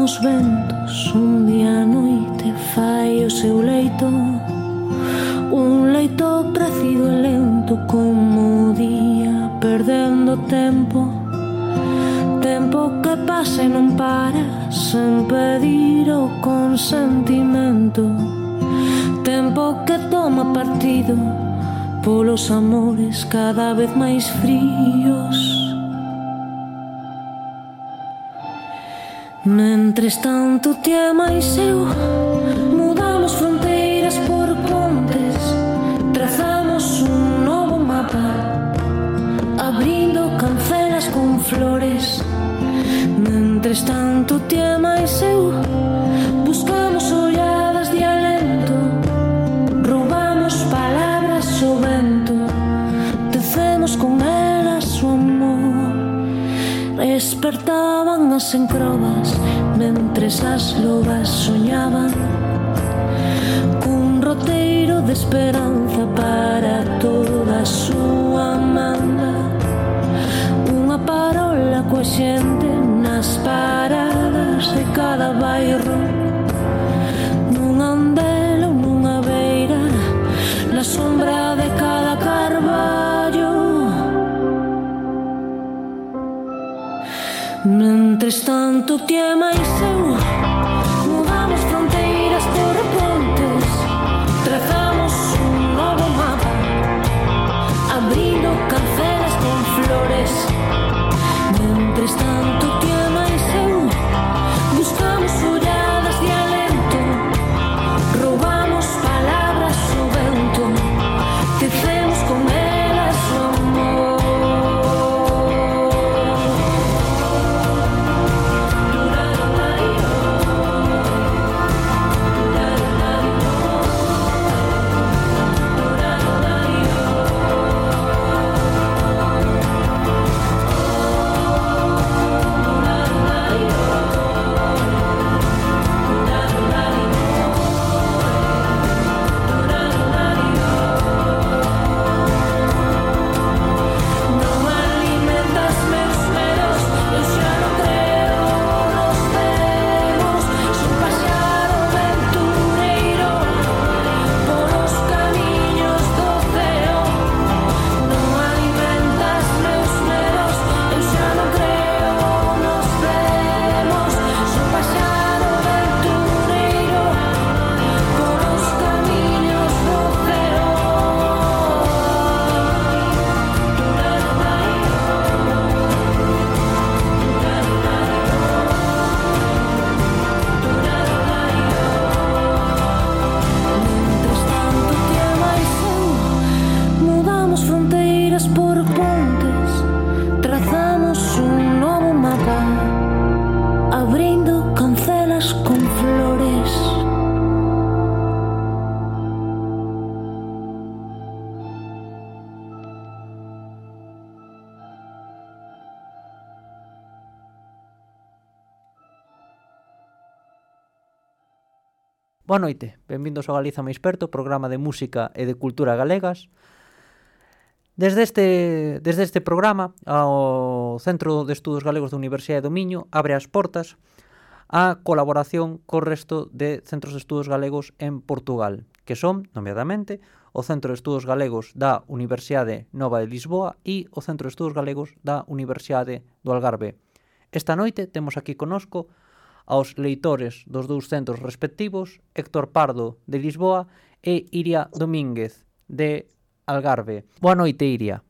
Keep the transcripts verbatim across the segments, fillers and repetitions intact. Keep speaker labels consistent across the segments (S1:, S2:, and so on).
S1: os ventos, un día a noite fai o seu leito, un leito crecido e lento como o día, perdendo tempo, tempo que pasa e non para, sen pedir o consentimento, tempo que toma partido polos amores cada vez máis fríos. Mentres tanto ti e máis eu mudamos fronteiras por pontes, trazamos un novo mapa, abrindo cancelas con flores. Mentres tanto ti e máis eu buscamos olladas de alento, roubamos palabras ao vento, tecemos con elas o amor. Despertaban as encrobas mentres as lobas soñaban cun roteiro de esperanza para toda a súa manda, unha parola coa xente nas paradas de cada bairro, nun andel ou nunha beira, na sombra de cada carballo. Mentres tanto ti e máis eu mudamos fronteiras por pontes, trazamos un novo mapa, abrindo cancelas con flores. Mentres tanto ti e máis eu buscamos olladas de alento, roubamos palabras ao vento, tecemos con elas o amor.
S2: Boa noite, benvindos ao Galiza máis perto, programa de música e de cultura galegas. Desde este, desde este programa, o Centro de Estudos Galegos da Universidade do Miño abre as portas á colaboración co resto de centros de estudos galegos en Portugal, que son, nomeadamente, o Centro de Estudos Galegos da Universidade Nova de Lisboa e o Centro de Estudos Galegos da Universidade do Algarve. Esta noite temos aquí conosco aos leitores dos dous centros respectivos, Héctor Pardo, de Lisboa, e Iria Domínguez, de Algarve. Boa noite, Iria.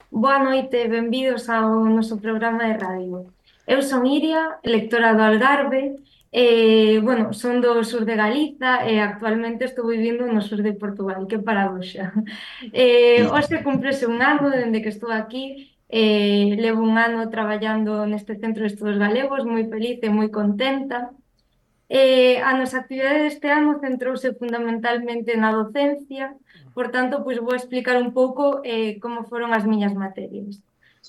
S3: Boa noite, benvidos ao noso programa de radio. Eu son Iria, lectora do Algarve, e, bueno, son do sur de Galiza e actualmente estou vivindo no sur de Portugal, que paradoxa. E, hoxe cumprese un ano dende que estou aquí. Eh, levo un ano traballando neste Centro de Estudos Galegos, moi feliz e moi contenta. Eh, a nosa actividade deste ano centrouse fundamentalmente na docencia, por tanto, pois vou explicar un pouco eh, como foron as miñas materias.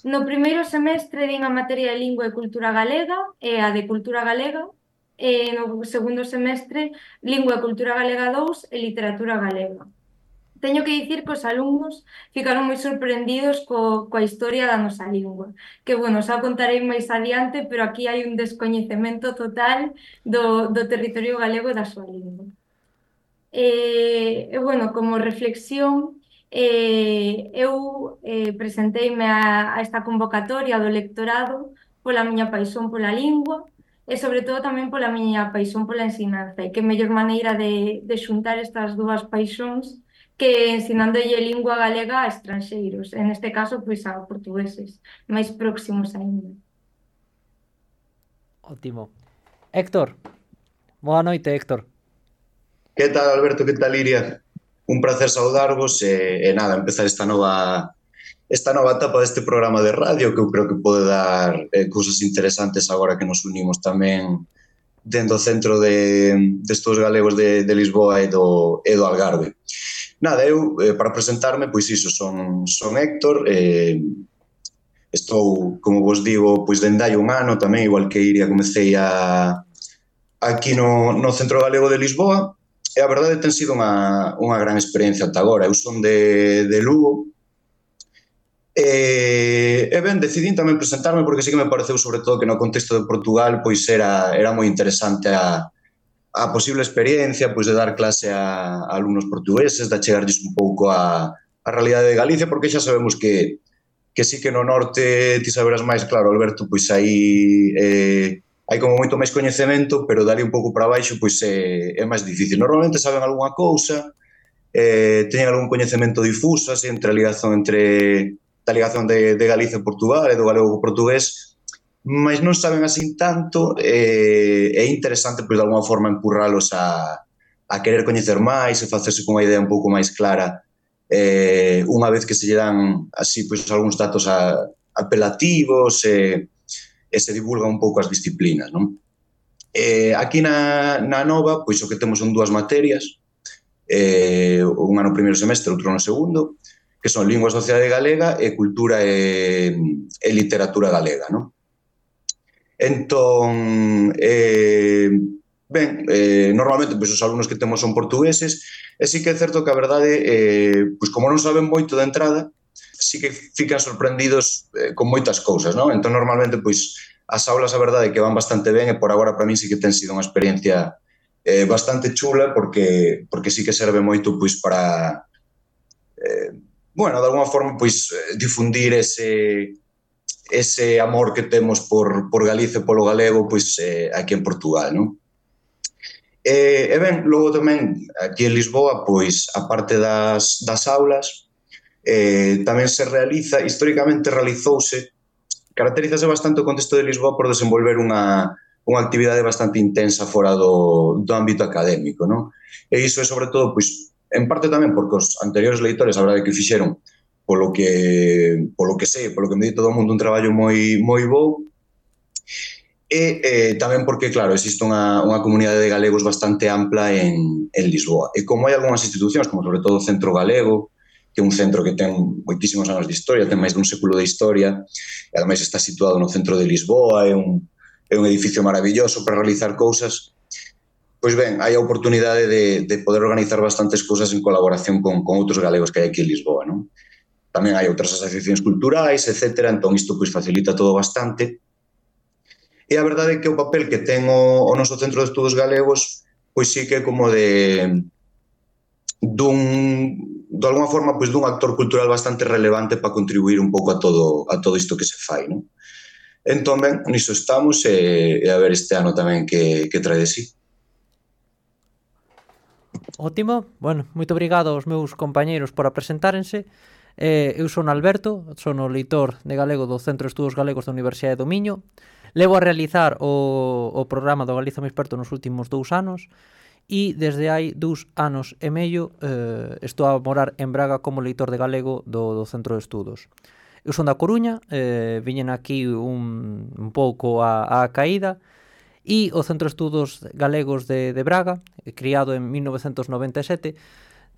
S3: No primeiro semestre din a materia de Lingua e Cultura Galega e a de Cultura Galega, e no segundo semestre Lingua e Cultura Galega dous e Literatura Galega. teño que dicir que os alumnos ficaron moi sorprendidos co, coa historia da nosa lingua. Que, bueno, xa contarei máis adiante, pero aquí hai un descoñecemento total do, do territorio galego e da súa lingua. E, e bueno, como reflexión, eh, eu eh, presenteime a, a esta convocatoria do lectorado pola miña paixón pola lingua e sobre todo tamén pola miña paixón pola ensinanza. E que mellor maneira de, de xuntar estas dúas paixóns que ensinándolle lingua galega a estranxeiros, en este caso, pois a portugueses, máis próximos aínda.
S2: Ótimo. Héctor, boa noite, Héctor.
S4: Que tal, Alberto? Que tal, Iria? Un placer saudarvos e, e nada, empezar esta nova esta nova etapa deste programa de radio que eu creo que pode dar eh, cousas interesantes agora que nos unimos tamén dentro do Centro de, de Estudos Galegos de, de Lisboa e do, e do Algarve. Nada, eu, eh, para presentarme, pois iso, son, son Héctor, eh, estou, como vos digo, pois dende hai un ano tamén, igual que Iria, comecei a, aquí no, no Centro Galego de Lisboa. E a verdade ten sido unha, unha gran experiencia ata agora. Eu son de, de Lugo e, e ben, decidín tamén presentarme porque sí que me pareceu sobre todo que no contexto de Portugal pois era, era moi interesante a, a posible experiencia pois de dar clase a, a alumnos portugueses, de achegarlles un pouco a, a realidade de Galicia, porque xa sabemos que, que sí que no norte ti saberás máis, claro, Alberto, pois aí... Eh, hai como moito máis coñecemento, pero dali un pouco para baixo pois é, é máis difícil. Normalmente saben algunha cousa, eh, teñen algún coñecemento difuso, así, entre a ligación entre a ligación de, de Galicia e Portugal e do galego co portugués, mas non saben así tanto, eh, é interesante pois de alguna forma empurralos a, a querer coñecer máis e facerse con unha idea un pouco máis clara, eh, unha vez que se lle dan así pois algúns datos a, apelativos e e se divulga un pouco as disciplinas, non? Eh, aquí na, na Nova, pois o que temos son dúas materias, eh, unha no primeiro semestre, outro no segundo, que son Lingua e Sociedade Galega e Cultura e, e Literatura Galega, non? Entón, eh, ben, eh, normalmente pois, os alumnos que temos son portugueses, e sí que é certo que a verdade, eh, pois como non saben moito de entrada, sí que fican sorprendidos eh, con moitas cousas, non? Entón, normalmente, pois, as aulas, a verdade, que van bastante ben e por agora, para mí, sí que ten sido unha experiencia eh, bastante chula porque porque sí que serve moito, pois, para, eh, bueno, de alguma forma, pois, difundir ese ese amor que temos por, por Galicia e polo galego, pois, eh, aquí en Portugal, non? E, e ben, logo tamén, aquí en Lisboa, pois, a parte das, das aulas, Eh, tamén se realiza, históricamente realizouse, caracterízase bastante o contexto de Lisboa por desenvolver unha, unha actividade bastante intensa fora do, do ámbito académico, non? E iso é sobre todo, pois, en parte tamén porque os anteriores leitores, a verdade que fixeron polo que, polo que sei, polo que me di todo o mundo, un traballo moi, moi bo, e eh, tamén porque, claro, existe unha, unha comunidade de galegos bastante ampla en, en Lisboa. E como hai algunhas institucións, como sobre todo o Centro Galego, que é un centro que ten moitísimos anos de historia, ten máis dun século de historia, e ademais está situado no centro de Lisboa, é un, é un edificio maravilloso para realizar cousas. Pois ben, hai a oportunidade de, de poder organizar bastantes cousas en colaboración con, con outros galegos que hai aquí en Lisboa, non? Tamén hai outras asociacións culturais, etcétera, entón isto pois facilita todo bastante. E a verdade é que o papel que ten o, o noso Centro de Estudos Galegos, pois sí que é como de dun, de alguma forma, pois dun actor cultural bastante relevante para contribuir un pouco a todo a todo isto que se fai, non? Entón, ben, niso estamos e, e a ver este ano tamén que, que trae de sí.
S2: Ótimo, bueno, moito obrigado aos meus compañeiros por apresentárense. Eh, eu son Alberto, son o leitor de galego do Centro de Estudos Galegos da Universidade do Miño. Levo a realizar o, o programa do Galiza Moi Experto nos últimos dous anos e desde hai dous anos e medio eh, estou a morar en Braga como leitor de galego do, do Centro de Estudos. Eu son da Coruña, eh, viñen aquí un, un pouco a, a caída, e o Centro de Estudos Galegos de, de Braga, criado en mil novecentos noventa e sete,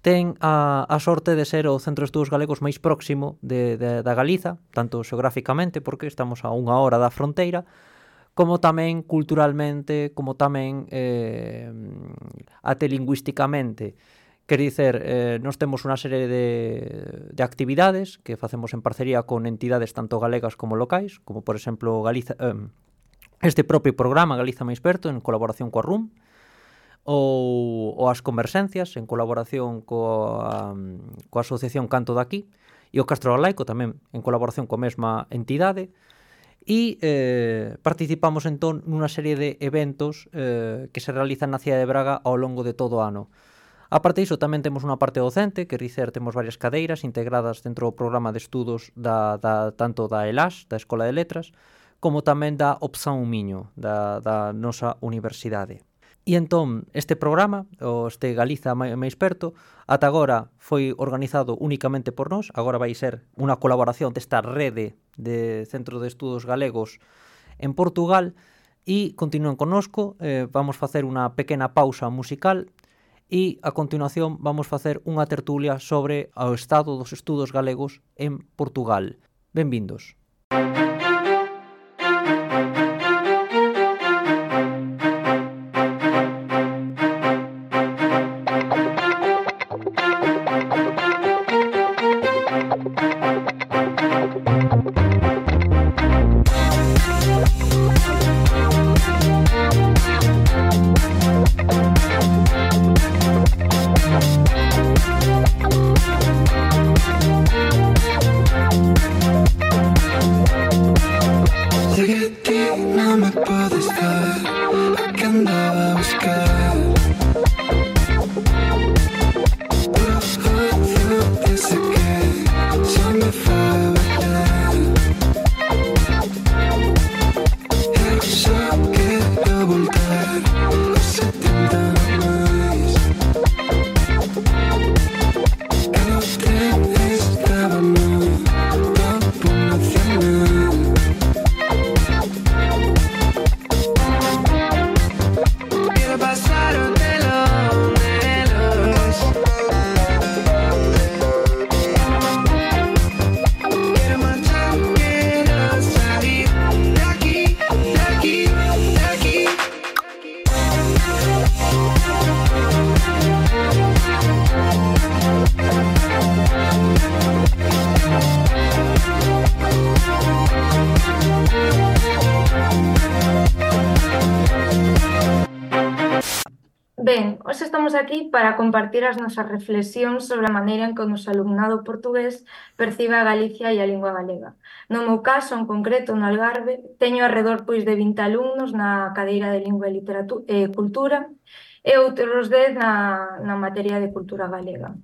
S2: ten a, a sorte de ser o Centro de Estudos Galegos máis próximo de, de, da Galiza, tanto xeográficamente, porque estamos a unha hora da fronteira, como tamén culturalmente, como tamén eh, até lingüísticamente, Quer dicer, eh, nós temos unha serie de, de actividades que facemos en parcería con entidades tanto galegas como locais, como por exemplo Galiza, eh, este propio programa Galiza máis perto en colaboración coa R U M, ou, ou as conversencias en colaboración coa, coa Asociación Canto daqui, e o Castro Galaico tamén en colaboración coa mesma entidade, e eh, participamos entón nunha serie de eventos eh, que se realizan na cidade de Braga ao longo de todo o ano. A parte disso, tamén temos unha parte docente, que dicer, temos varias cadeiras integradas dentro do programa de estudos da, da, tanto da ELAS, da Escola de Letras, como tamén da Opción Miño, da, da nosa universidade. E entón, este programa, o este Galiza máis perto, ata agora foi organizado únicamente por nós, agora vai ser unha colaboración desta rede de Centro de Estudos Galegos en Portugal, e continúen connosco, eh, vamos facer unha pequena pausa musical, e a continuación vamos facer unha tertulia sobre o estado dos estudos galegos en Portugal. Benvindos.
S3: Ben, hoxe estamos aquí para compartir as nosas reflexións sobre a maneira en que o noso alumnado portugués percibe a Galicia e a lingua galega. No meu caso, en concreto, no Algarve, teño alrededor pois, de vinte alumnos na cadeira de Lingua e Literatura, eh, Cultura e outros dez na, na materia de Cultura Galega.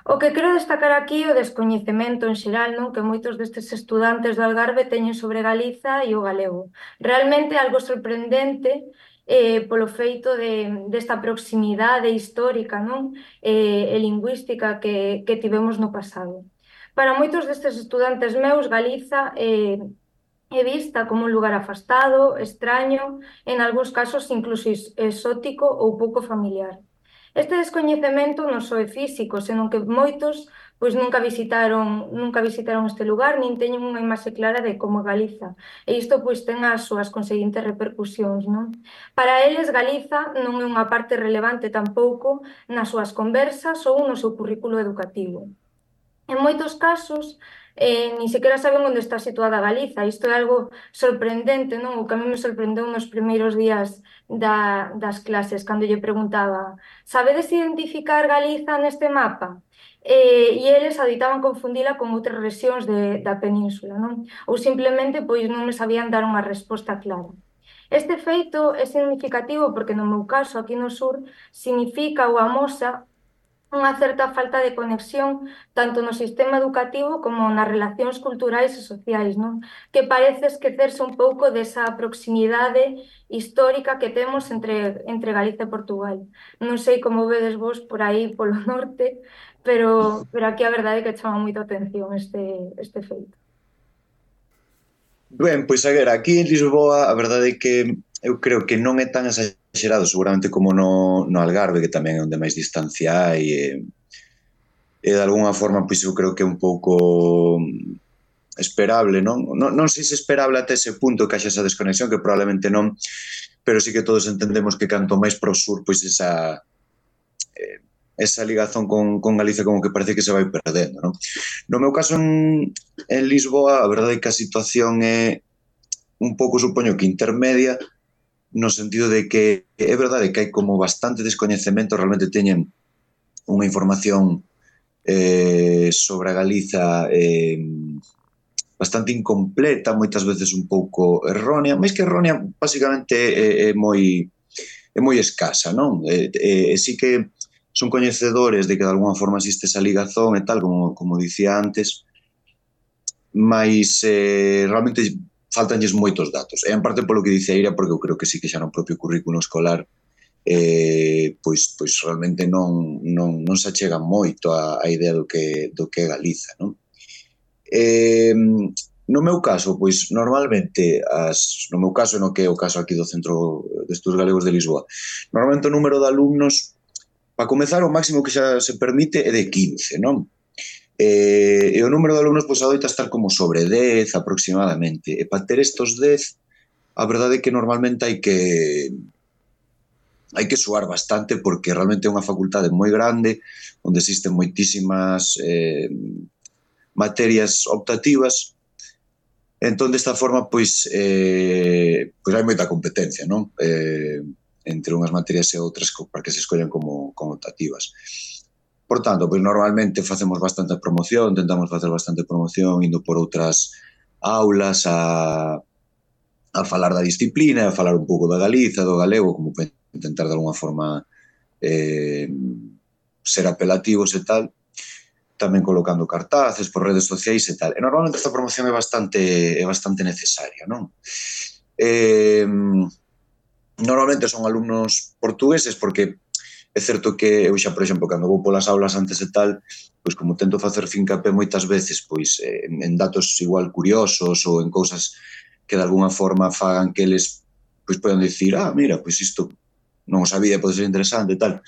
S3: O que quero destacar aquí é o descoñecemento en xeral, non, que moitos destes estudantes do Algarve teñen sobre Galiza e o galego. Realmente algo sorprendente eh, polo feito de, desta proximidade histórica, non, eh, e lingüística que, que tivemos no pasado. Para moitos destes estudantes meus, Galiza eh, é vista como un lugar afastado, extraño, en algúns casos incluso exótico ou pouco familiar. Este descoñecemento non só é físico, senón que moitos pois nunca visitaron, nunca visitaron este lugar, nin teñen unha imaxe clara de como é Galiza. E isto pois ten as súas conseguintes repercusións, non? Para eles, Galiza non é unha parte relevante tampouco nas súas conversas ou no seu currículo educativo. En moitos casos, eh, ni sequera saben onde está situada Galiza. Isto é algo sorprendente, non? O que a mí me sorprendeu nos primeiros días da, das clases, cando lle preguntaba: sabedes identificar Galiza neste mapa? Eh, e eles aditaban confundila con outras rexións de, da península, non? Ou simplemente pois non me sabían dar unha resposta clara. Este feito é significativo porque no meu caso, aquí no sur, significa ou amosa unha certa falta de conexión tanto no sistema educativo como nas relacións culturais e sociais, non? Que parece esquecerse un pouco desa proximidade histórica que temos entre, entre Galiza e Portugal. Non sei como vedes vos por aí polo norte, pero, pero aquí a verdade é que chama moito a atención este, este feito.
S4: Ben, pois a ver, aquí en Lisboa a verdade é que eu creo que non é tan exagerado seguramente como no, no Algarve, que tamén é onde máis distancia hai, e, e de alguna forma pois eu creo que é un pouco esperable, non? Non, non sei se esperable até ese punto que haxa esa desconexión, que probablemente non, pero sí que todos entendemos que canto máis pro sur, pois esa eh, esa ligazón con, con Galicia como que parece que se vai perdendo, non? No meu caso en, en Lisboa, a verdade é que a situación é un pouco, supoño que intermedia, no sentido de que é verdade que hai como bastante descoñecemento, realmente teñen unha información eh, sobre a Galiza eh, bastante incompleta, moitas veces un pouco errónea, máis que errónea, basicamente é, é moi é moi escasa, non? E, e, e sí que son coñecedores de que de alguna forma existe esa ligazón e tal, como, como dicía antes, mas eh, realmente faltanlles moitos datos. E en parte polo que dice Eira, porque eu creo que sí que xa no propio currículo escolar eh, pois, pois realmente non, non, non se achega moito a, a idea do que, do que é Galiza, non? Eh, no meu caso, pois normalmente as, no meu caso, no que é o caso aquí do Centro de Estudos Galegos de Lisboa, normalmente o número de alumnos, para comezar, o máximo que xa se permite é de quince, non? Eh, e o número de alumnos pois adoita estar como sobre dez aproximadamente, e para ter estos dez, a verdade é que normalmente hai que hai que suar bastante porque realmente é unha facultade moi grande onde existen moitísimas eh, materias optativas. Entón, desta forma, pois, eh, pois hai moita competencia, non? Eh, entre unhas materias e outras para que se escollan como, como optativas. Por tanto, pois normalmente facemos bastante promoción, tentamos facer bastante promoción indo por outras aulas a, a falar da disciplina, a falar un pouco da Galiza, do galego, como para intentar de alguna forma eh, ser apelativos e tal, tamén colocando cartaces por redes sociais e tal. E normalmente esta promoción é bastante é bastante necesaria, non? Eh, normalmente son alumnos portugueses porque é certo que eu xa, por exemplo, cando vou polas aulas antes e tal, pois como tento facer fincapé moitas veces pois en, en datos igual curiosos ou en cousas que de alguna forma fagan que eles pois poden dicir, ah, mira, pois isto non o sabía, pode ser interesante e tal.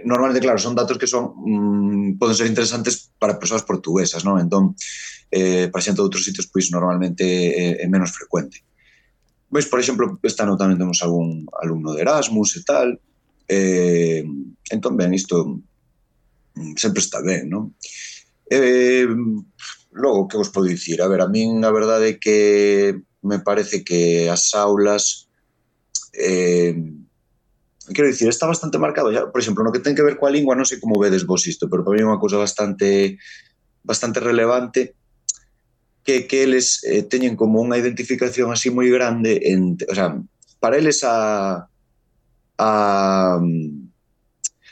S4: Normalmente, claro, son datos que son mmm, poden ser interesantes para persoas portuguesas, non? Entón, eh, para xente de outros sitios, pois normalmente é, é menos frecuente. Pois, por exemplo, este ano tamén temos algún alumno de Erasmus e tal, eh, entón, ben, isto sempre está ben, non? Eh, logo, que vos podo dicir? A ver, a min a verdade é que me parece que as aulas eh, quero dicir, está bastante marcado xa, por exemplo, no que ten que ver coa lingua, non sei como vedes vos isto, pero para mí é unha cousa bastante bastante relevante que, que eles eh, teñen como unha identificación así moi grande en, o sea, para eles a a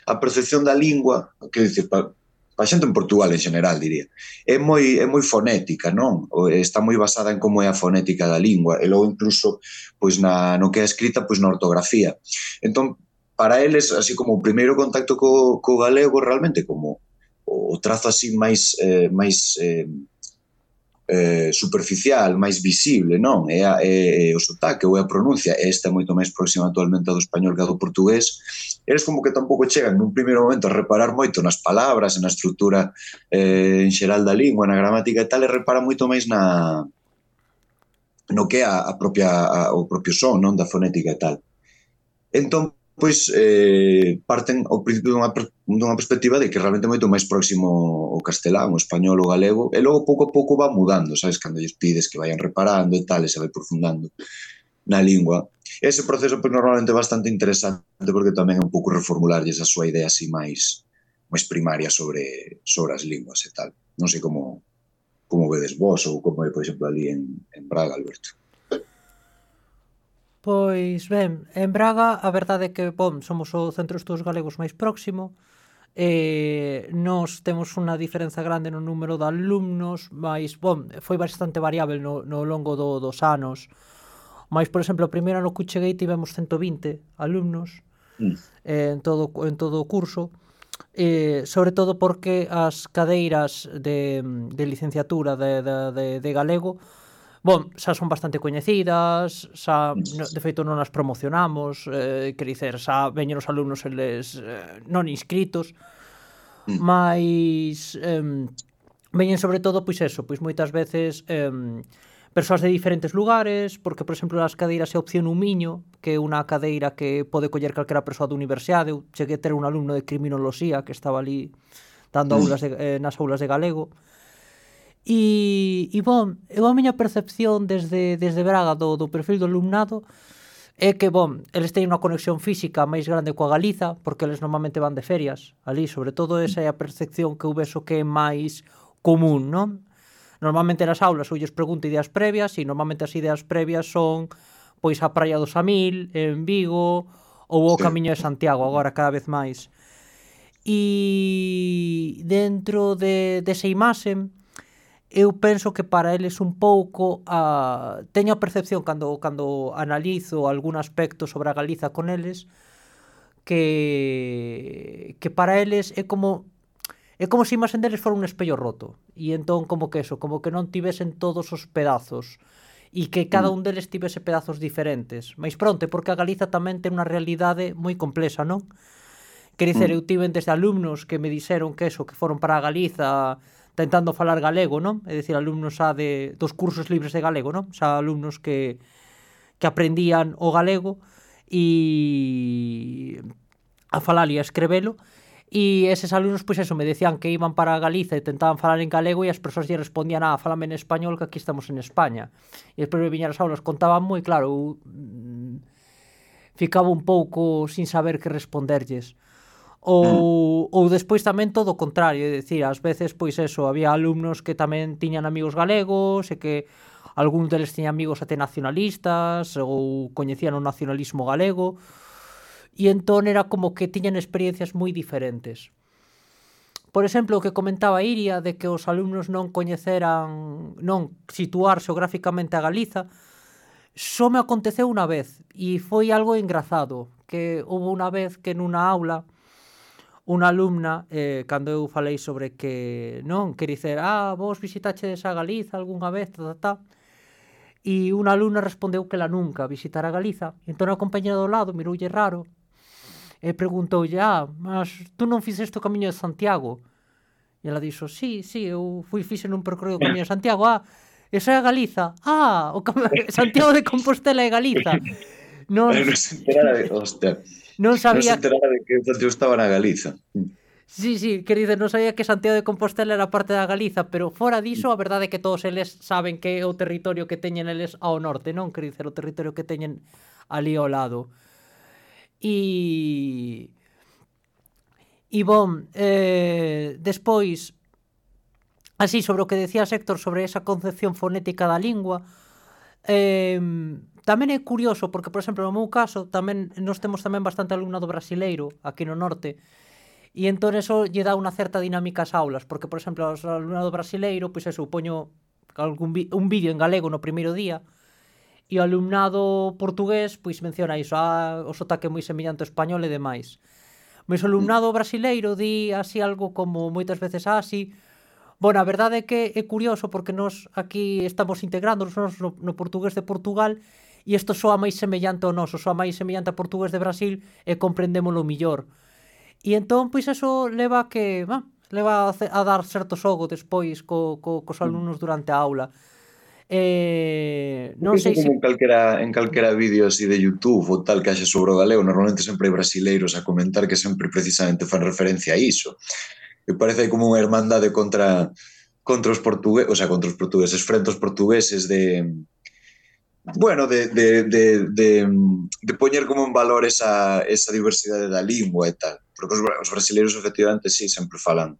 S4: a percepción da lingua, quero dicir, para pa xente en Portugal en general, diría, é moi, é moi fonética, non? Está moi basada en como é a fonética da lingua, e logo incluso pois na, no que é escrita, pois na ortografía. Entón, para eles, así como o primeiro contacto co, co galego, realmente como o trazo así máis, eh, máis eh, eh, superficial, máis visible, non? É, a, é, é o sotaque ou é a pronuncia, esta é moito máis próxima actualmente do español que do portugués. Eles como que tampouco chegan nun primeiro momento a reparar moito nas palabras, na estrutura eh, en xeral da lingua, na gramática e tal, e reparan moito máis na no que é a, a propia, a, o propio son, non? Da fonética e tal. Entón, pois, eh, parten ao principio dunha, dunha perspectiva de que realmente é moito máis próximo o castelán, o español, o galego, e logo pouco a pouco va mudando, sabes? Cando lles pides que vayan reparando e tal, e se vai profundando na lingua. Ese proceso, pois, normalmente é bastante interesante, porque tamén é un pouco reformularlles a súa idea así máis, máis primaria sobre, sobre as linguas e tal. Non sei como, como vedes vos, ou como é, por exemplo, ali en, en Braga, Alberto.
S2: Pois ben, en Braga a verdade é que, bom, somos o Centro de Estudos Galegos máis próximo, e nos temos unha diferenza grande no número de alumnos, mas, bom, foi bastante variável no, no longo do, dos anos. Mas, por exemplo, o primeiro ano que cheguei tivemos ciento vinte alumnos mm. eh, en, todo, en todo o curso, eh, sobre todo porque as cadeiras de, de licenciatura de, de, de, de galego, bon, xa son bastante coñecidas, xa, de feito non as promocionamos, eh, quer dizer, xa veñen os alumnos eles eh, non inscritos, mm. mas eh, veñen sobre todo, pois eso, pois moitas veces eh, persoas de diferentes lugares, porque, por exemplo, as cadeiras é opción un miño, que é unha cadeira que pode coller calquera persoa da universidade. Eu cheguei a ter un alumno de criminoloxía que estaba ali dando aulas de, eh, nas aulas de galego. E, e bom, eu a miña percepción desde, desde Braga do, do perfil do alumnado é que, bom, eles teñen unha conexión física máis grande coa Galiza, porque eles normalmente van de ferias ali, sobre todo esa é a percepción que eu vexo que é máis común, non? Normalmente nas aulas eu lles pregunto ideas previas e normalmente as ideas previas son pois a Praia do Samil, en Vigo, ou o Camiño de Santiago, agora cada vez máis. E dentro de, desa imaxe, eu penso que para eles un pouco a... teño a percepción cando, cando analizo algún aspecto sobre a Galiza con eles que, que para eles é como é como se a imaxen deles fora un espello roto e entón como que eso, como que non tivesen todos os pedazos e que cada un deles tivese pedazos diferentes. Mais pronto, porque a Galiza tamén ten unha realidade moi complexa, non? Quer dizer, eu tiven desde alumnos que me dixeron que eso, que foron para a Galiza tentando falar galego, non? É dicir, alumnos xa de, dos cursos libres de galego, non? Xa alumnos que, que aprendían o galego e a falar e a escrevelo, e eses alumnos, pois eso, me decían que iban para Galiza e tentaban falar en galego e as persoas lle respondían, ah, fálame en español que aquí estamos en España. E despois me viñan as aulas, contaban moi claro, eu mm, ficaba un pouco sin saber que responderlles. Ou, ou despois tamén todo o contrario, é dicir, ás veces, pois eso, había alumnos que tamén tiñan amigos galegos e que algún deles tiñan amigos até nacionalistas ou coñecían o nacionalismo galego, e entón era como que tiñan experiencias moi diferentes. Por exemplo, o que comentaba Iria de que os alumnos non coñeceran, non situar xeográficamente a Galiza, só me aconteceu unha vez e foi algo engrazado, que houve unha vez que nunha aula unha alumna, eh, cando eu falei sobre que, non, que dicer, ah, vos visitachedes a Galiza algunha vez, ta, ta, ta, e unha alumna respondeu que ela nunca visitara Galiza, e entón a compañera do lado miroulle raro, e preguntoulle, ah, mas tú non fixeste o Camiño de Santiago? E ela dixo, sí, sí, eu fui fixe nun percorrido o Camiño de Santiago. Ah, eso é a Galiza? Ah, o Cam... Santiago de Compostela é Galiza. Non,
S4: non se enterara de, hostia,
S2: non sabía...
S4: non se enterara de que Santiago estaba na Galiza.
S2: Sí, sí, quer dizer, non sabía que Santiago de Compostela era parte da Galiza, pero fora diso, a verdade é que todos eles saben que é o territorio que teñen eles ao norte, non? Quer dizer, o territorio que teñen ali ao lado. E... E, bom, eh, despois, así, sobre o que decía Héctor, sobre esa concepción fonética da lingua, eh, tamén é curioso, porque, por exemplo, no meu caso, tamén nós temos tamén bastante alumnado brasileiro aquí no norte, e entón eso lle dá unha certa dinámica ás aulas, porque, por exemplo, o alumnado brasileiro, pois eso, poño algún vi- un vídeo en galego no primeiro día, e o alumnado portugués pois menciona iso, ah, o sotaque moi semellante ao español e demais. Mas o alumnado brasileiro di así algo como moitas veces así. Bueno, a verdade é que é curioso porque nós aquí estamos integrándonos no, no portugués de Portugal e isto soa máis semellante ao noso, soa máis semellante ao portugués de Brasil e comprendémolo millor. E entón, pois eso leva a que, bah, leva a, a dar certo xogo despois co, co, cos alumnos durante a aula. Eh, non sei se...
S4: En calquera, en calquera vídeo así de YouTube ou tal que haxe sobre o galego, normalmente sempre hai brasileiros a comentar que sempre precisamente fan referencia a iso. Me parece como unha hermandade contra contra os portugueses, o sea, contra os portugueses, frente aos portugueses de... Bueno, de, de, de, de, de poñer como en valor esa, esa diversidade da lingua e tal. Porque os, os brasileiros, efectivamente, sí, sempre falan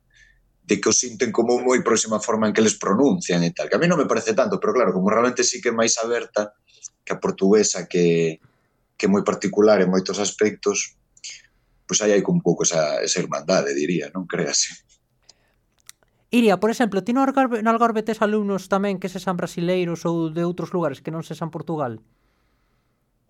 S4: de que o sinten como moi próxima forma en que les pronuncian e tal, que a mí non me parece tanto, pero claro, como realmente sí que é máis aberta que a portuguesa, que, que é moi particular en moitos aspectos, pois aí hai un pouco esa, esa irmandade, diría, non creas?
S2: Iria, por exemplo, ti no Algarve, no Algarve tes alumnos tamén que sexan brasileiros ou de outros lugares que non sexan Portugal?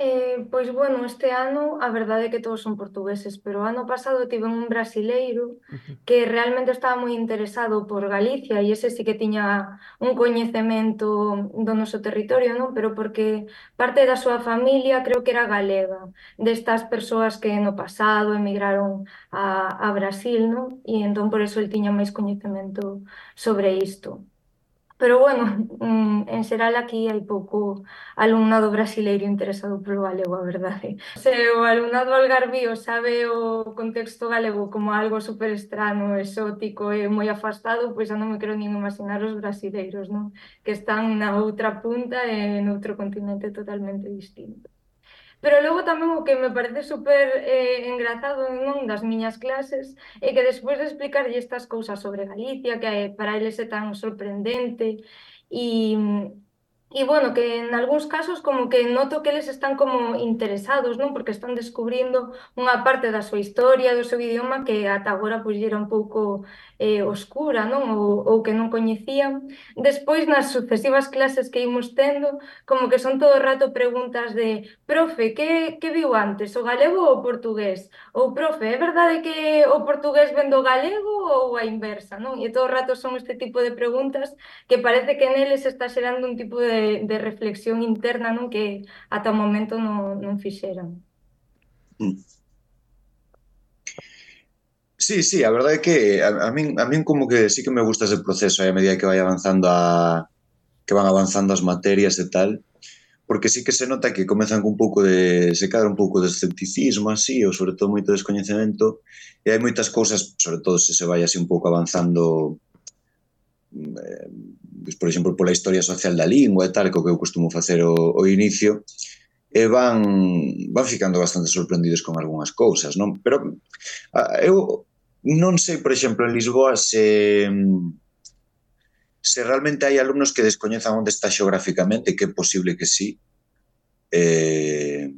S3: Eh, pois, bueno, este ano a verdade é que todos son portugueses, pero o ano pasado tive un brasileiro que realmente estaba moi interesado por Galicia e ese sí que tiña un coñecemento do noso territorio, non? Pero porque parte da súa familia creo que era galega, destas persoas que no pasado emigraron a, a Brasil, non? E entón por eso el tiña máis coñecemento sobre isto. Pero bueno, mm, en xeral aquí hai pouco alumnado brasileiro interesado polo galego, a verdade. Se o alumnado algarvío sabe o contexto galego como algo super estrano, exótico e moi afastado, pois xa non me quero nin imaginar os brasileiros, non? Que están na outra punta e noutro continente totalmente distinto. Pero logo tamén o que me parece super eh, engrazado non das miñas clases é que despois de explicarlle estas cousas sobre Galicia, que eh, para eles é tan sorprendente, e, e bueno, que en algúns casos como que noto que eles están como interesados, non? Porque están descubrindo unha parte da súa historia, do seu idioma que ata agora pois era un pouco eh, oscura, non? Ou, ou que non coñecían. Despois, nas sucesivas clases que imos tendo, como que son todo o rato preguntas de profe, que, que viu antes, o galego ou o portugués? Ou profe, é verdade que o portugués ven do galego ou a inversa, non? E todo o rato son este tipo de preguntas que parece que neles está xerando un tipo de, de reflexión interna, non? Que ata o momento non, non fixeran.
S4: Mm. Sí, sí, a verdade é que a, a min a min como que sí que me gusta ese proceso aí a medida que vai avanzando a que van avanzando as materias e tal, porque sí que se nota que comezan con un pouco de se cadra un pouco de escepticismo así, ou sobre todo moito descoñecemento, e hai moitas cousas, sobre todo se se vai así un pouco avanzando, eh, pues, por exemplo, pola historia social da lingua e tal, que o que eu costumo facer o, o inicio, e van van ficando bastante sorprendidos con algunhas cousas, non? Pero a, eu non sei, por exemplo, en Lisboa se se realmente hai alumnos que descoñezan onde está xeográficamente, que é posible que sí, eh,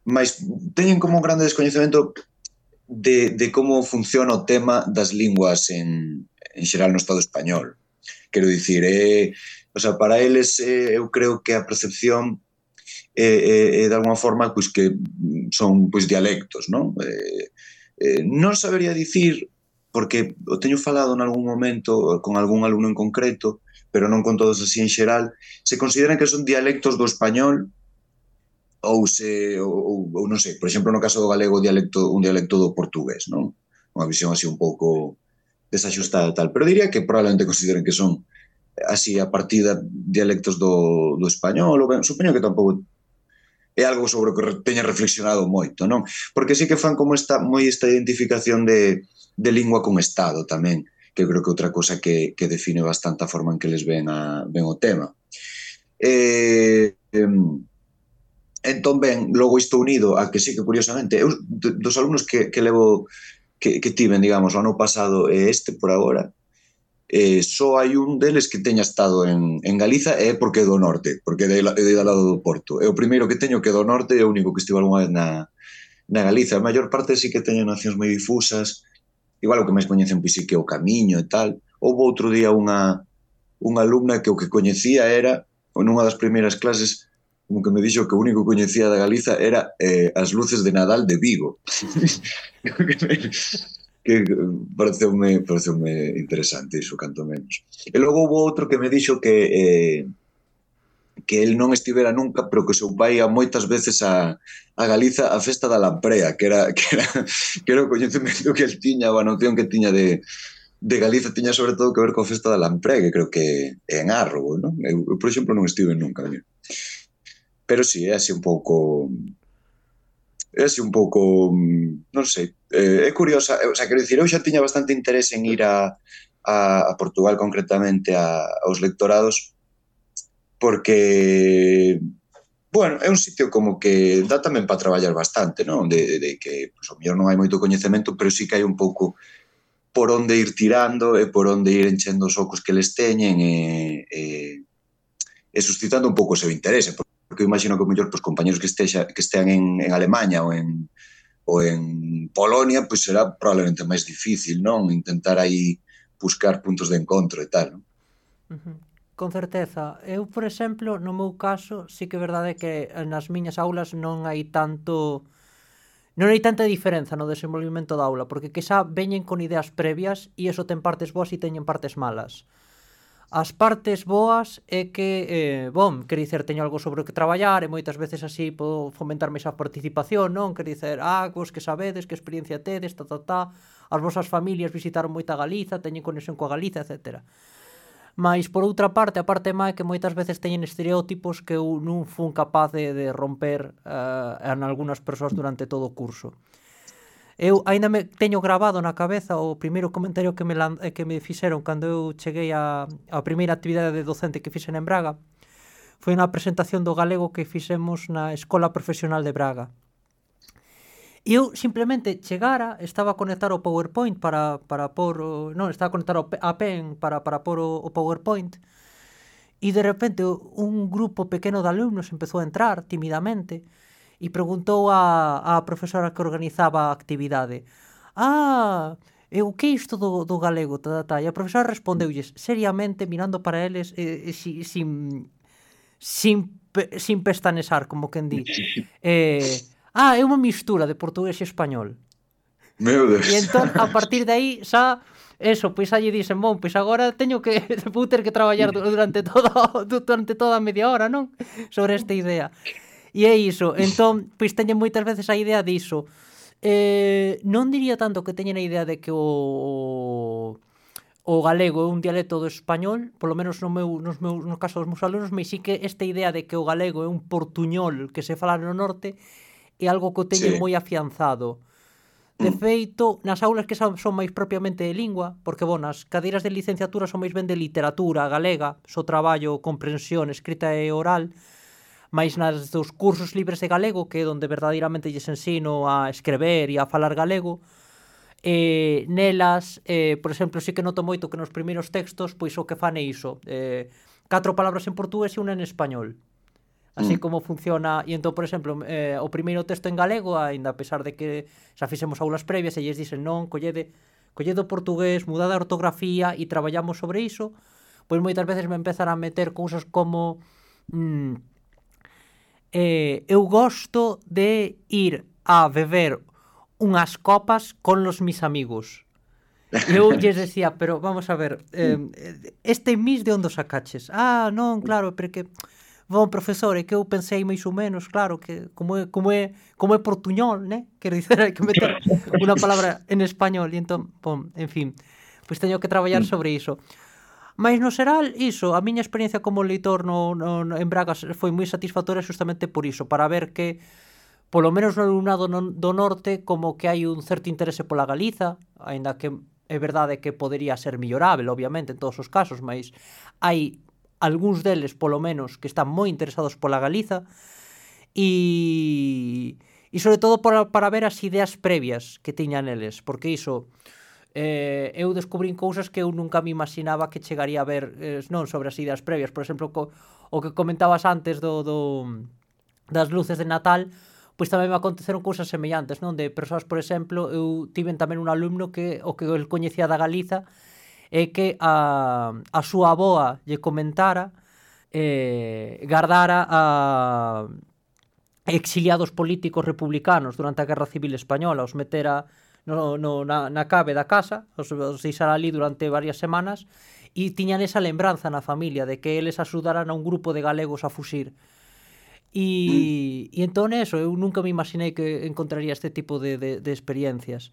S4: mas teñen como un grande descoñecemento de, de como funciona o tema das linguas en, en xeral no Estado español. Quero dicir, eh, o sea, para eles eh, eu creo que a percepción é, eh, eh, de alguma forma pois, que son pois, dialectos, non? Eh, eh, non sabería dicir, porque o teño falado en algún momento con algún alumno en concreto, pero non con todos así en xeral, se consideran que son dialectos do español ou se, ou, ou non sei, por exemplo, no caso do galego, dialecto, un dialecto do portugués, non? Unha visión así un pouco desaxustada e tal, pero diría que probablemente consideren que son así a partida dialectos do, do español, ou ben, supoño que tampouco é algo sobre o que teña reflexionado moito, non? Porque sí que fan como esta moi esta identificación de, de lingua con Estado tamén, que creo que outra cosa que, que define bastante a forma en que les ven, a, ven o tema. Eh, eh, entón, ben, logo isto unido a que sí que curiosamente, eu dos alumnos que, que levo que, que tiven, digamos, o ano pasado e este por agora, eh, só hai un deles que teña estado en, en Galiza e é porque é do norte, porque é de, é de lado do Porto. É o primeiro que teño que é do norte e é o único que estivo algunha vez na, na Galiza. A maior parte sí que teñen nacións moi difusas, igual o que máis coñecen pois sí que é o Camiño e tal. Houve outro día unha, unha alumna que o que coñecía era, nunha das primeiras clases, como que me dixo que o único que coñecía da Galiza era eh, as luces de Nadal de Vigo. que pareceume, pareceume interesante iso, canto menos. E logo houve outro que me dixo que eh, que el non estivera nunca, pero que seu pai ia moitas veces a, a Galiza a festa da Lamprea, que era, que era, que era o coñecemento que el tiña, a noción que tiña de, de Galiza tiña sobre todo que ver coa festa da Lamprea, que creo que é en Árrobo, non? Eu, eu, por exemplo, non estive nunca. Mira. Pero sí, é así un pouco... é así un pouco, non sei, é curiosa, o sea, quero dicir, eu xa tiña bastante interés en ir a, a, a Portugal concretamente a, aos lectorados, porque, bueno, é un sitio como que dá tamén para traballar bastante, non? De, de que, pois, o mellor non hai moito coñecemento, pero sí que hai un pouco por onde ir tirando e por onde ir enchendo os ocos que les teñen e, e, e suscitando un pouco o seu interese, porque porque eu imagino que o mellor pues, compañeros que, estexa, que estean en, en Alemanha ou en, ou en Polonia, pois pues, será probablemente máis difícil, non? Intentar aí buscar puntos de encontro e tal, non?
S2: Uh-huh. Con certeza. Eu, por exemplo, no meu caso, sí que é verdade que nas miñas aulas non hai tanto... non hai tanta diferenza no desenvolvimento da aula, porque que xa veñen con ideas previas e iso ten partes boas e teñen partes malas. As partes boas é que, eh, bom, quer dicer, teño algo sobre o que traballar e moitas veces así podo fomentar máis a participación, non? Quer dicer, ah, vos que sabedes, que experiencia tedes, ta, ta, ta, as vosas familias visitaron moita Galiza, teñen conexión coa Galiza, etcétera. Mais, por outra parte, a parte má é que moitas veces teñen estereótipos que eu non fun capaz de, de romper uh, en algunhas persoas durante todo o curso. Eu aínda me teño grabado na cabeza o primeiro comentario que me, que me fixeron cando eu cheguei a, a primeira actividade de docente que fixen en Braga. Foi unha presentación do galego que fixemos na Escola Profesional de Braga. E eu simplemente chegara, estaba a conectar o PowerPoint para, para por... Non, estaba a conectar a pen para, para por o, o PowerPoint e de repente un grupo pequeno de alumnos empezou a entrar timidamente e preguntou a, a profesora que organizaba a actividade: ah, e o que é isto do, do galego? Ta, ta, ta. E a profesora respondeulles seriamente, mirando para eles eh, sin, sin, sin, sin pestanesar, como quen di. Eh... Ah, é unha mistura de portugués e español.
S4: Meu Deus.
S2: E entón, a partir de aí, xa, eso, pois xa lle dixen, bon, pois agora teño que, vou ter que traballar durante toda, durante toda a media hora, non? Sobre esta idea. E é iso, entón, pois teñen moitas veces a idea diso. Eh, non diría tanto que teñen a idea de que o... o galego é un dialecto do español, polo menos no meu, nos meus, no caso dos meus alumnos, mas sí que esta idea de que o galego é un portuñol que se fala no norte é algo que o teñen sí. moi afianzado. De feito, nas aulas que son, son máis propiamente de lingua, porque, bon, as cadeiras de licenciatura son máis ben de literatura galega, so traballo, comprensión, escrita e oral, máis nas dos cursos libres de galego, que é onde verdadeiramente lles ensino a escrever e a falar galego, e nelas, eh, por exemplo, sí que noto moito que nos primeiros textos, pois o que fan é iso, eh, catro palabras en portugués e unha en español. Así como funciona, e entón, por exemplo, eh, o primeiro texto en galego, aínda a pesar de que xa fixemos aulas previas e lles dicen non, collede, collede o portugués, mudade a ortografía e traballamos sobre iso, pois moitas veces me empezan a meter cousas como mm, eh, eu gosto de ir a beber unhas copas con los mis amigos. E eu lles decía, pero vamos a ver, eh, este mis de onde o sacaches? Ah, non, claro, porque... Bon, profesor, é que eu pensei máis ou menos, claro, que como é, como é, como é portuñol, né? Quero dizer, hai que meter unha palabra en español, e entón, bon, en fin, pois teño que traballar sobre iso. Mais no xeral, iso, a miña experiencia como leitor no, no, no, en Braga foi moi satisfactoria justamente por iso, para ver que, polo menos no alumnado no, do norte, como que hai un certo interese pola Galiza, aínda que é verdade que podería ser millorable, obviamente, en todos os casos, mas hai algúns deles, polo menos, que están moi interesados pola Galiza e, e sobre todo para, para ver as ideas previas que tiñan eles, porque iso eh, eu descubrín cousas que eu nunca me imaginaba que chegaría a ver, eh, non sobre as ideas previas, por exemplo, co, o que comentabas antes do, do, das luces de Natal, pois tamén me aconteceron cousas semellantes, non? De persoas, por exemplo, eu tiven tamén un alumno que o que el coñecía da Galiza é que a, a súa avoa lle comentara eh, gardara a exiliados políticos republicanos durante a Guerra Civil Española, os metera no, no, na, na cabe da casa, os, os deixara ali durante varias semanas e tiñan esa lembranza na familia de que eles axudaran a un grupo de galegos a fuxir. E, mm. e entón eso, eu nunca me imaginei que encontraría este tipo de, de, de experiencias.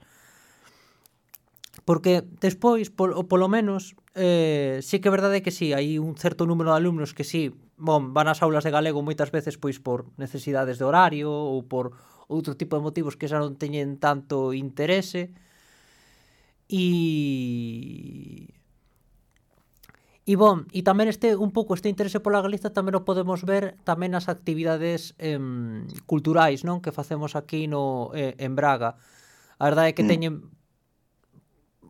S2: Porque despois, polo, polo menos, eh, sí que é verdade que sí, hai un certo número de alumnos que sí, bon, van ás aulas de galego moitas veces pois por necesidades de horario ou por outro tipo de motivos que xa non teñen tanto interese e... E bon, e tamén este un pouco este interese pola Galiza tamén o podemos ver tamén nas actividades eh, culturais, non? Que facemos aquí no, eh, en Braga. A verdade é que teñen...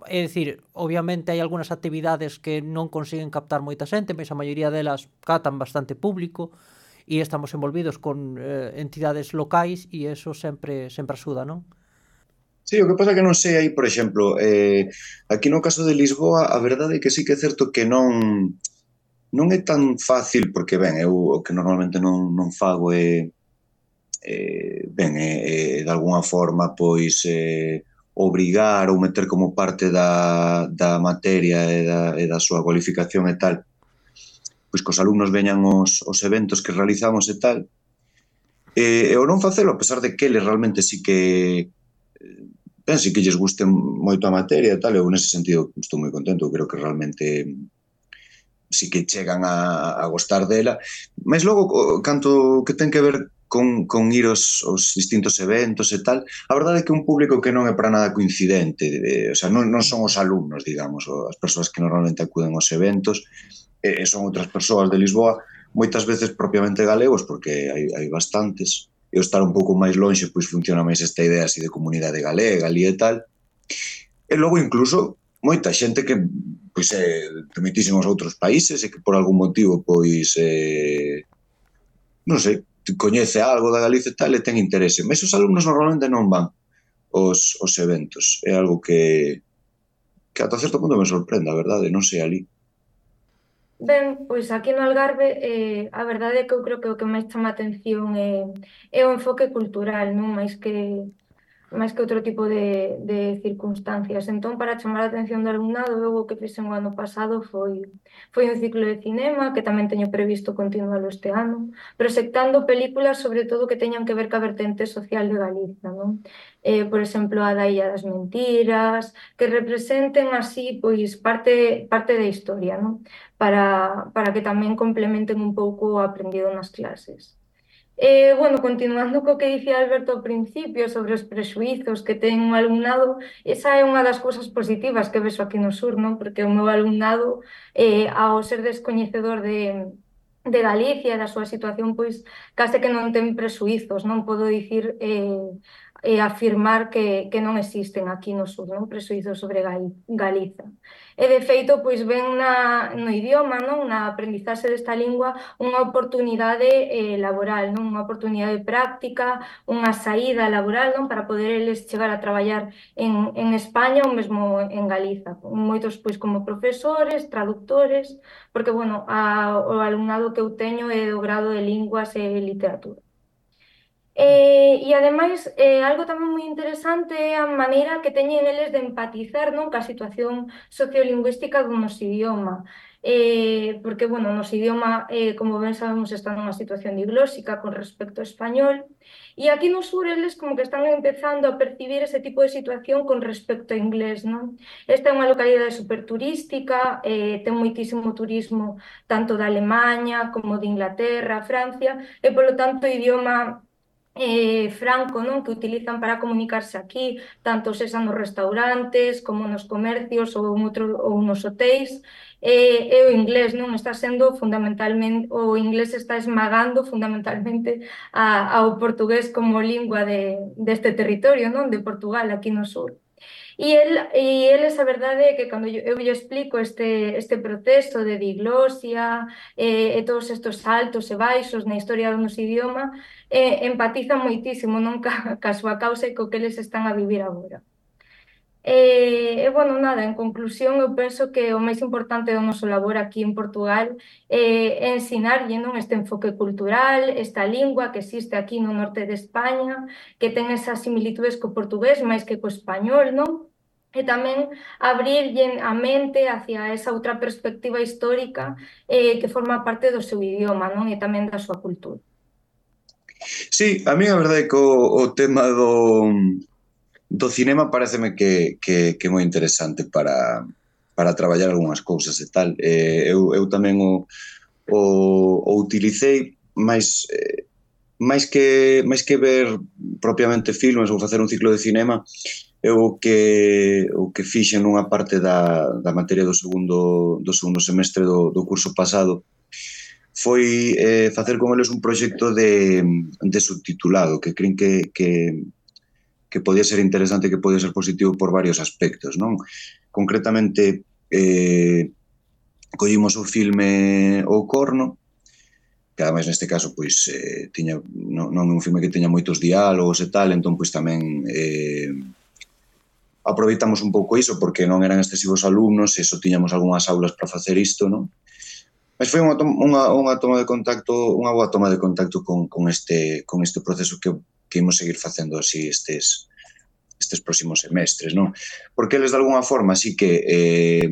S2: É dicir, obviamente hai algunhas actividades que non consiguen captar moita xente, mas a maioría delas captan bastante público e estamos envolvidos con eh, entidades locais e eso sempre sempre axuda, non?
S4: Sí, o que pasa que non sei aí, por exemplo, eh, aquí no caso de Lisboa, a verdade é que sí que é certo que non non é tan fácil, porque, ben, eu o que normalmente non, non fago é, eh, ben, é, é de alguna forma, pois, eh, obrigar ou meter como parte da, da materia e da, e da súa cualificación e tal, pois que os alumnos veñan os, os eventos que realizamos e tal, e, e o non facelo, a pesar de que eles realmente sí que ben, sí que lles guste moito a materia e tal, eu nese sentido estou moi contento, creo que realmente si que chegan a, a gostar dela, mas logo, canto que ten que ver con, con ir aos, aos distintos eventos e tal, a verdade é que é un público que non é para nada coincidente, eh, o sea, non, non son os alumnos, digamos, as persoas que normalmente acuden aos eventos, e eh, son outras persoas de Lisboa, moitas veces propiamente galegos, porque hai, hai bastantes, e o estar un pouco máis lonxe, pois funciona máis esta idea así de comunidade galega ali e tal, e logo incluso moita xente que pois é de moitísimos outros países e que por algún motivo pois eh, non sei, coñece algo da Galicia e tal e ten interese, mas os alumnos normalmente non van os, os eventos, é algo que que ata certo punto me sorprende, a verdade, non sei ali.
S3: Ben, pois aquí no Algarve eh, a verdade é que eu creo que o que máis chama a atención é, é o enfoque cultural, non máis que máis que outro tipo de, de circunstancias. Entón, para chamar a atención do alumnado, eu o que fixen o ano pasado foi, foi un ciclo de cinema, que tamén teño previsto continualo este ano, proxectando películas, sobre todo, que teñan que ver ca vertente social de Galiza, non? Eh, por exemplo, a da Illa das Mentiras, que representen así, pois, parte, parte da historia, non? Para, para que tamén complementen un pouco o aprendido nas clases. Eh, bueno, continuando co que dicía Alberto ao principio sobre os prexuizos que ten o alumnado, esa é unha das cousas positivas que vexo aquí no sur, non? Porque o meu alumnado, eh, ao ser descoñecedor de, de Galicia e da súa situación, pois case que non ten prexuizos, non podo dicir eh, e afirmar que, que non existen aquí no sur, non? Prexuizos sobre Gal Galiza. E de feito, pois ven na, no idioma, non? Na aprendizaxe desta lingua, unha oportunidade eh, laboral, non? Unha oportunidade práctica, unha saída laboral, non? Para poder eles chegar a traballar en, en España ou mesmo en Galiza. Moitos, pois, como profesores, traductores, porque, bueno, a, o alumnado que eu teño é do grado de Linguas e Literatura. Eh, e ademais, eh, algo tamén moi interesante é a maneira que teñen eles de empatizar, non, ca situación sociolingüística do noso idioma. Eh, porque, bueno, o noso idioma, eh, como ben sabemos, está nunha situación diglóxica con respecto ao español, e aquí no sur eles como que están empezando a percibir ese tipo de situación con respecto ao inglés, non? Esta é unha localidade superturística, eh, ten moitísimo turismo tanto da Alemanha como de Inglaterra, Francia, e polo tanto o idioma Eh, franco, non? Que utilizan para comunicarse aquí, tanto sexa nos restaurantes como nos comercios ou, en outro, ou nos hotéis, eh, e o inglés, non? Está sendo fundamentalmente, o inglés está esmagando fundamentalmente a, ao portugués como lingua de, deste territorio, non? De Portugal, aquí no sur. E, el, e eles, a verdade é que cando eu, eu lle explico este, este proceso de diglosia eh, e todos estes altos e baixos na historia do noso idioma, eh, empatizan moitísimo, non ca, ca súa causa e co que eles están a vivir agora. E, e, bueno, nada, en conclusión, eu penso que o máis importante do noso labor aquí en Portugal eh, é ensinarlle, non, este enfoque cultural, esta lingua que existe aquí no norte de España, que ten esas similitudes co portugués máis que co español, non? E tamén abrirlle a mente hacia esa outra perspectiva histórica eh, que forma parte do seu idioma, non? E tamén da súa cultura.
S4: Sí, a mí a verdade é que o, o tema do, do cinema pareceme que, que, que é moi interesante para, para traballar algunhas cousas e tal. Eh, eu, eu tamén o, o, o utilicei máis, eh, máis, que, máis que ver propiamente filmes ou facer un ciclo de cinema, eu o que, o que fixen nunha parte da, da materia do segundo, do segundo semestre do, do curso pasado foi eh, facer con eles un proxecto de, de subtitulado que creen que, que, que podía ser interesante, que podía ser positivo por varios aspectos, non? Concretamente, eh, collimos o filme O Corno, que ademais neste caso pois eh, tiña, non, non é un filme que teña moitos diálogos e tal, entón pois tamén eh, aproveitamos un pouco iso porque non eran excesivos alumnos e só tiñamos algunhas aulas para facer isto, non? Mas foi unha, unha, unha toma de contacto, unha boa toma de contacto con, con, este, con este proceso que, que imos seguir facendo así estes, estes próximos semestres, non? Porque eles de alguna forma sí que eh,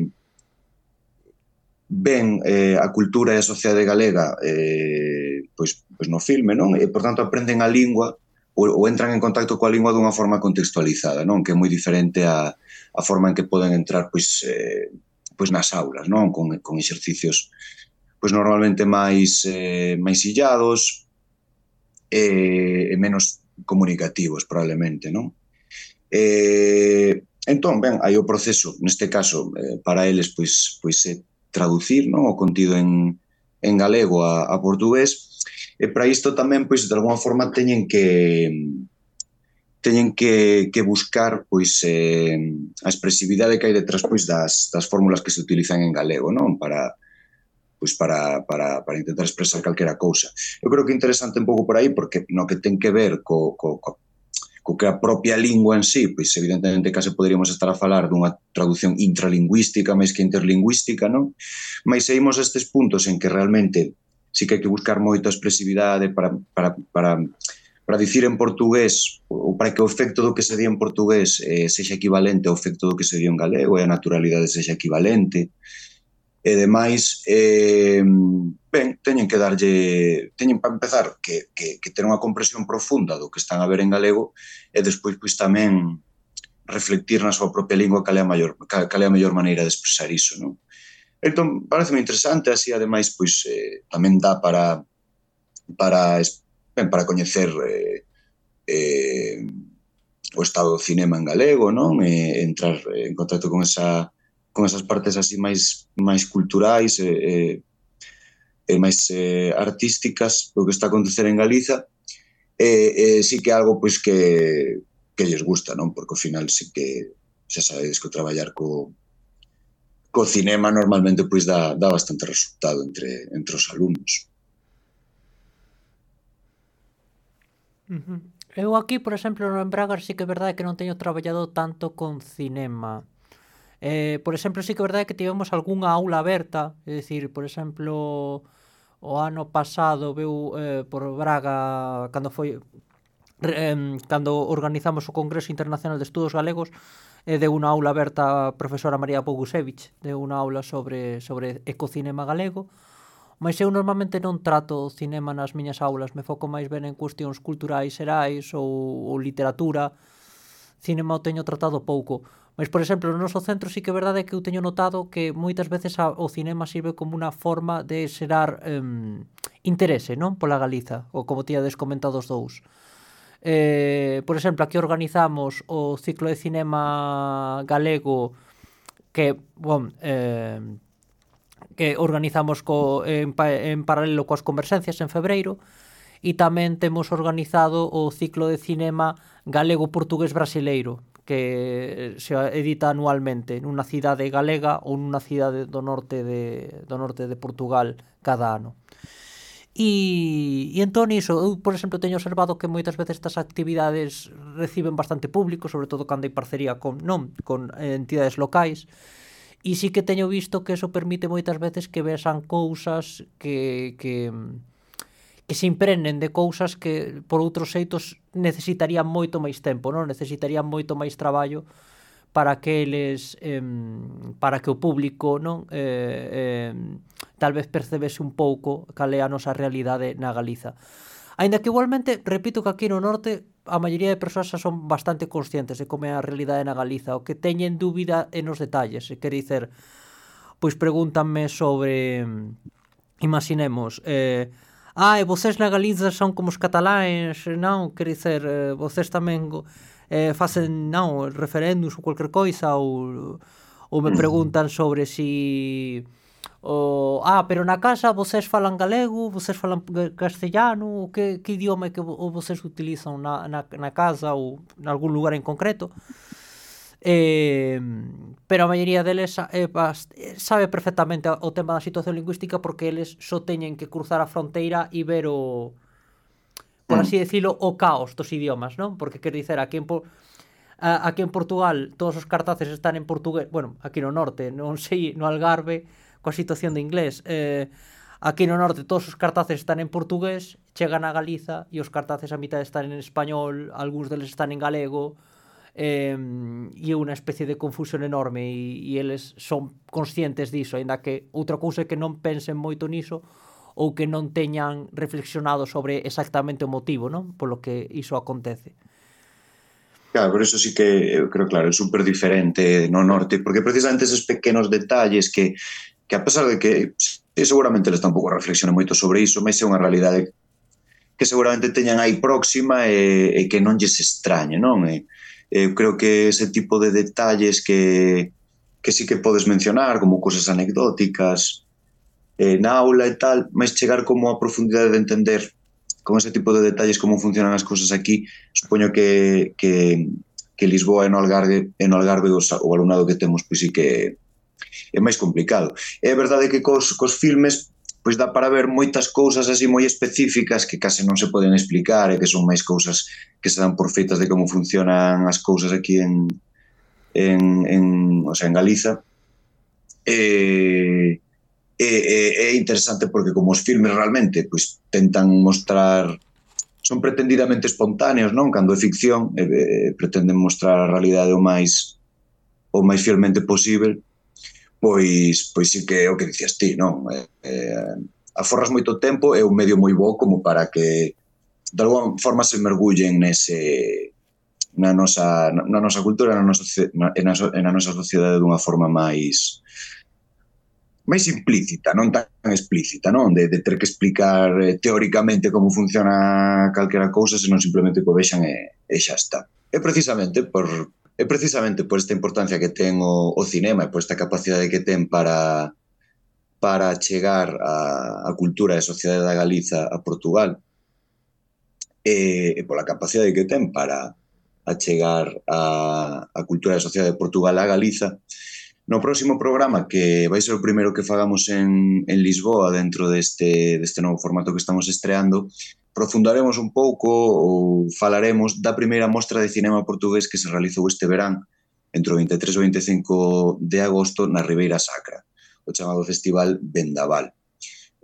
S4: ven eh, a cultura e a sociedade galega eh, pois, pois no filme, non? E, por tanto, aprenden a lingua ou, ou entran en contacto coa lingua dunha forma contextualizada, non? Que é moi diferente a, a forma en que poden entrar pois, eh, pois nas aulas, non? Con, con exercicios pois normalmente máis eh, máis illados e, e menos comunicativos probablemente, non? Eh, entón, ben, hai o proceso, neste caso, eh, para eles, pois, pois é traducir, non, o contido en, en galego a, a portugués, e para isto tamén, pois, de alguma forma teñen que teñen que, que buscar, pois, eh, a expresividade que hai detrás, pois, das, das fórmulas que se utilizan en galego, non, para pois para, para, para intentar expresar calquera cousa. Eu creo que é interesante un pouco por aí, porque no que ten que ver co, co, co co que a propia lingua en sí, pois evidentemente case poderíamos estar a falar dunha traducción intralingüística máis que interlingüística, non? Mas seguimos estes puntos en que realmente sí que hai que buscar moita expresividade para, para, para, para dicir en portugués, ou para que o efecto do que se di en portugués eh, sexa equivalente ao efecto do que se di en galego e a naturalidade sexa equivalente. E demais, eh, ben, teñen que darlle, teñen para empezar que, que, que ter unha comprensión profunda do que están a ver en galego e despois pois tamén reflectir na súa propia lingua cal é a maior, cal, cal é a mellor maneira de expresar iso, non? Entón, parece moi interesante, así ademais pois eh, tamén dá para para, ben, para coñecer eh, eh, o estado do cinema en galego, non? E entrar en contacto con esa con esas partes así máis máis culturais e, e, e máis eh, artísticas do que está a acontecer en Galiza, e, e sí que é algo pois que que lles gusta, non? Porque ao final sí que xa sabedes que o traballar co co cinema normalmente pois dá, dá bastante resultado entre, entre os alumnos.
S2: Uh-huh. Eu aquí, por exemplo, en Bragas sí que é verdade que non teño traballado tanto con cinema. Eh, por exemplo, sí que é verdade que tivemos algunha aula aberta, é dicir, por exemplo, o ano pasado veu eh, por Braga cando foi eh, cando organizamos o Congreso Internacional de Estudos Galegos, eh, deu unha aula aberta a profesora María Bogusevich, deu unha aula sobre sobre ecocinema galego. Mas eu normalmente non trato cinema nas miñas aulas, me foco máis ben en cuestións culturais xerais ou, ou literatura. Cinema o teño tratado pouco. Mas, por exemplo, no noso centro sí que é verdade que eu teño notado que moitas veces a, o cinema sirve como unha forma de xerar um, interese, non? Pola Galiza, ou como tíades comentado os dous. Eh, por exemplo, aquí organizamos o ciclo de cinema galego que, bon, eh, que organizamos co, en, en paralelo coas conversencias en febreiro, e tamén temos organizado o ciclo de cinema galego-portugués-brasileiro, que se edita anualmente nunha cidade galega ou nunha cidade do norte de, do norte de Portugal cada ano. E, e entón iso, eu, por exemplo, teño observado que moitas veces estas actividades reciben bastante público, sobre todo cando hai parcería con, non, con entidades locais, e sí que teño visto que eso permite moitas veces que vexan cousas que... que que se imprenen de cousas que por outros xeitos necesitarían moito máis tempo, non? Necesitarían moito máis traballo para que eles eh, para que o público, non, eh, eh, tal vez percebese un pouco cal é a nosa realidade na Galiza. Aínda que igualmente, repito que aquí no norte a maioría de persoas xa son bastante conscientes de como é a realidade na Galiza, o que teñen dúbida é nos detalles, e quer dizer, pois pregúntanme sobre, imaginemos, eh, ah, e vocês na Galiza son como os cataláns, non? Quer dizer, eh, vocês tamén eh, facen, non, referéndums ou qualquer coisa, ou, ou me preguntan sobre si... O, ah, pero na casa vocês falan galego, vocês falan castellano, que, que idioma que o vocês utilizan na, na, na casa ou en algún lugar en concreto? Eh, pero a maioría deles eh, sabe perfectamente o tema da situación lingüística, porque eles só teñen que cruzar a fronteira e ver o, por así decirlo, o caos dos idiomas, non? Porque quer dicer, aquí en, a, aquí en Portugal todos os cartaces están en portugués, bueno, aquí no norte, non sei, no Algarve, coa situación de inglés, eh, aquí no norte todos os cartaces están en portugués, chegan a Galiza e os cartaces a mitad están en español, algúns deles están en galego, eh, e é unha especie de confusión enorme, e, e eles son conscientes diso, ainda que outra cousa é que non pensen moito niso ou que non teñan reflexionado sobre exactamente o motivo, non? Polo que iso acontece.
S4: Claro, por eso sí que eu creo, claro, é super diferente no norte, porque precisamente esos pequenos detalles que, que a pesar de que sí, seguramente eles tampouco reflexionan moito sobre iso, mas é unha realidade que seguramente teñan aí próxima e, e que non lles extrañe, non? E, eu creo que ese tipo de detalles que, que sí que podes mencionar, como cosas anecdóticas, eh, na aula e tal, mas chegar como a profundidade de entender con ese tipo de detalles como funcionan as cousas aquí, supoño que, que, que Lisboa e no Algarve, e no Algarve os, o alumnado que temos pois sí que é máis complicado. É verdade que cos, cos filmes pois dá para ver moitas cousas así moi específicas que case non se poden explicar e que son máis cousas que se dan por feitas de como funcionan as cousas aquí en, en, en, o sea, en Galiza. E... É, é interesante porque como os filmes realmente pois, tentan mostrar, son pretendidamente espontáneos, non? Cando é ficción eh, pretenden mostrar a realidade o máis o máis fielmente posible, pois pois sí que é o que dicías ti, non? Eh, eh, aforras moito tempo, é un medio moi bo como para que de alguma forma se mergullen nese na nosa, na nosa cultura, na nosa, na, na nosa sociedade dunha forma máis máis implícita, non tan explícita, non? De, de ter que explicar eh, teóricamente como funciona calquera cousa, senón simplemente que o vexan e, e xa está. É precisamente por é precisamente por esta importancia que ten o, o cinema e por esta capacidade que ten para para chegar a, a cultura e a sociedade da Galiza a Portugal e, e pola capacidade que ten para achegar a, a cultura e a sociedade de Portugal a Galiza. No próximo programa, que vai ser o primeiro que fagamos en, en Lisboa dentro deste, deste novo formato que estamos estreando, profundaremos un pouco ou falaremos da primeira mostra de cinema portugués que se realizou este verán entre o vinte e tres e o vinte e cinco de agosto na Ribeira Sacra, o chamado Festival Vendaval,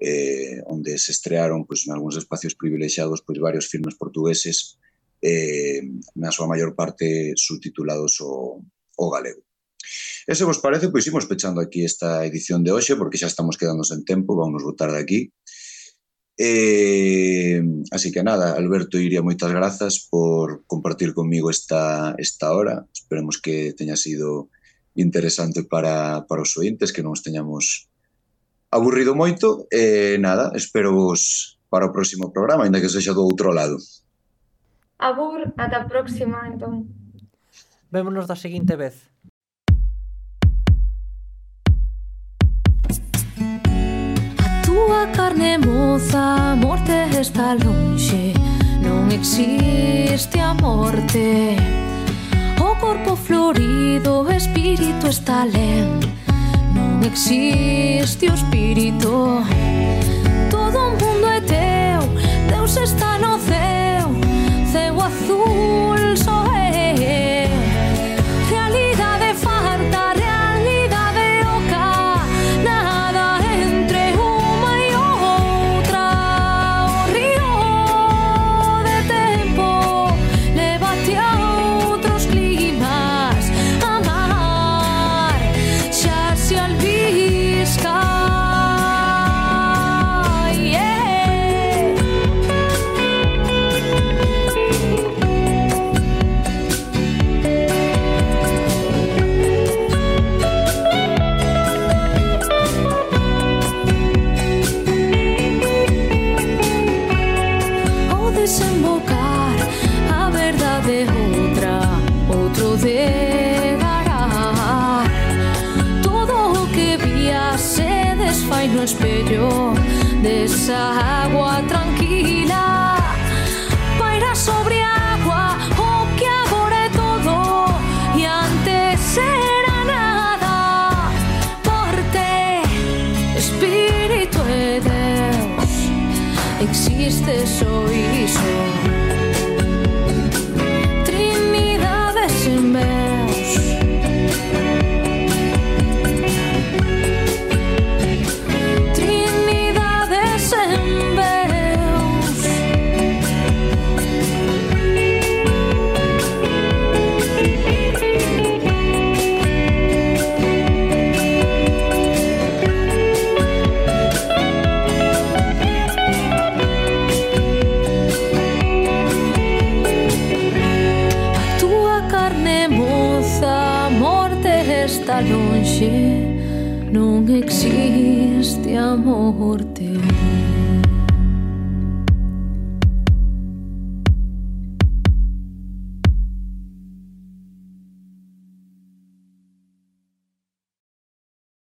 S4: eh, onde se estrearon pois, en algúns espacios privilexiados pois, varios filmes portugueses eh, na súa maior parte subtitulados o, o galego. E se vos parece, pois imos pechando aquí esta edición de hoxe, porque xa estamos quedando sen tempo, vamos botar de aquí. E, así que nada, Alberto Iria, moitas grazas por compartir comigo esta, esta hora. Esperemos que teña sido interesante para, para os ointes, que non os teñamos aburrido moito. E nada, espero vos para o próximo programa, ainda que sexa do outro lado.
S3: Abur, ata a próxima, entón.
S2: Vémonos da seguinte vez.
S1: Tua carne moza, a morte está lonxe, non existe a morte. O corpo florido, o espírito está len, non existe o espírito. Todo o mundo é teu, Deus está no ceo, ceo azul só é. Realidade farta, realidade oca, nada entre uma e outra. O río de tempo leva-te a outros climas, amar xa se albisca. No espello desa agua tranquila, paira sobre agua o que agora é todo e antes era nada. Morte, espírito e Deus, existe só iso. Trinidade sen veus. está longe, non existe amor teu.